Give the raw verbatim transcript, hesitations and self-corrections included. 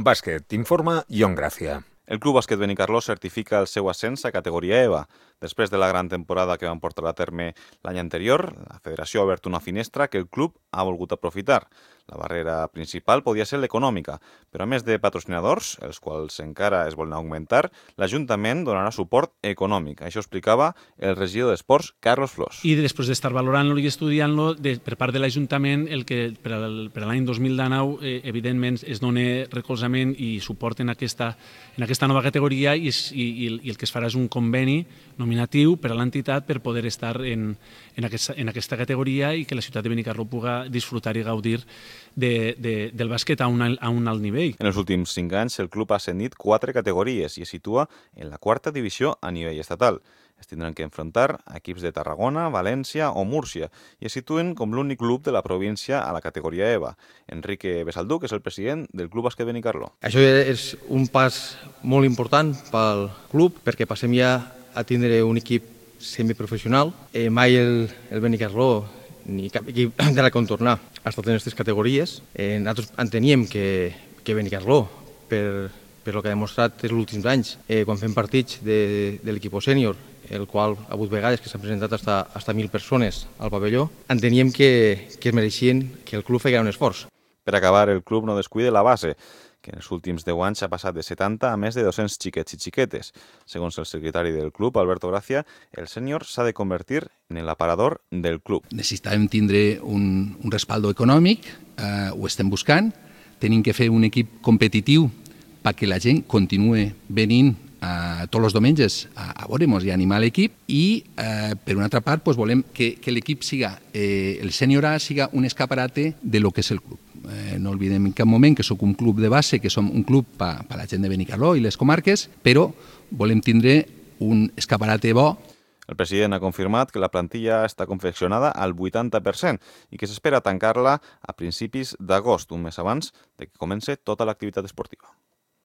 Bàsquet, informa Ion Gràcia. El Club Bàsquet Benicarló certifica el seu ascens a categoria EVA. Després de la gran temporada que van portar a terme l'any anterior, la federació ha obert una finestra que el club ha volgut aprofitar. La barrera principal podia ser l'econòmica, però a més de patrocinadors, els quals encara es volen augmentar, l'Ajuntament donarà suport econòmic. Això explicava el regidor d'Esports, Carlos Flors. I després d'estar valorant-lo i estudiant-lo, per part de l'Ajuntament, el que per a l'any dos mil dinou, eh, evidentment, es dona recolzament i suport en aquesta, en aquesta nova categoria i, i, i el que es farà és un conveni nominatiu per a l'entitat per poder estar en, en, aquesta, en aquesta categoria i que la ciutat de Benicarló pugui disfrutar i gaudir de, de, del bàsquet a un, a un alt nivell. En els últims cinc anys, el club ha ascendit quatre categories i es situa en la quarta divisió a nivell estatal. Es tindran que enfrontar a equips de Tarragona, València o Múrcia i es situen com l'únic club de la província a la categoria EVA. Enrique Besaldú, que és el president del Club Bàsquet Benicarló. Això és un pas molt important pel club perquè passem ja a tindre un equip semiprofessional. Eh, mai el, el Benicarló ni cap equip de la contornar ha estat en aquestes categories. Eh, nosaltres enteníem que, que Benicarló, per, per el que ha demostrat els últims anys, eh, quan fem partits de, de l'equip sènior, el qual ha hagut vegades que s'han presentat hasta, hasta mil persones al pavelló, enteníem que, que es mereixien que el club feia un esforç. Per acabar, el club no descuida la base, que en els últims deu anys ha passat de setanta a més de dos-cents xiquets i xiquetes. Segons el secretari del club, Alberto Gracia, el sènior s'ha de convertir en l'aparador del club. Necessitàvem tindre un, un respaldo econòmic, eh, ho estem buscant, tenim que fer un equip competitiu perquè la gent continue venint eh, tots els diumenges a, a veure-nos i a animar l'equip i, eh, per una altra part, pues, volem que, que l'equip siga, eh, el sènior A siga un escaparate de lo que és el club. Eh, no oblidem en cap moment que sóc un club de base, que som un club per pa la gent de Benicarló i les comarques, però volem tindre un escaparate bo. El president ha confirmat que la plantilla està confeccionada al vuitanta per cent i que s'espera tancar-la a principis d'agost, un mes abans de que comence tota l'activitat esportiva.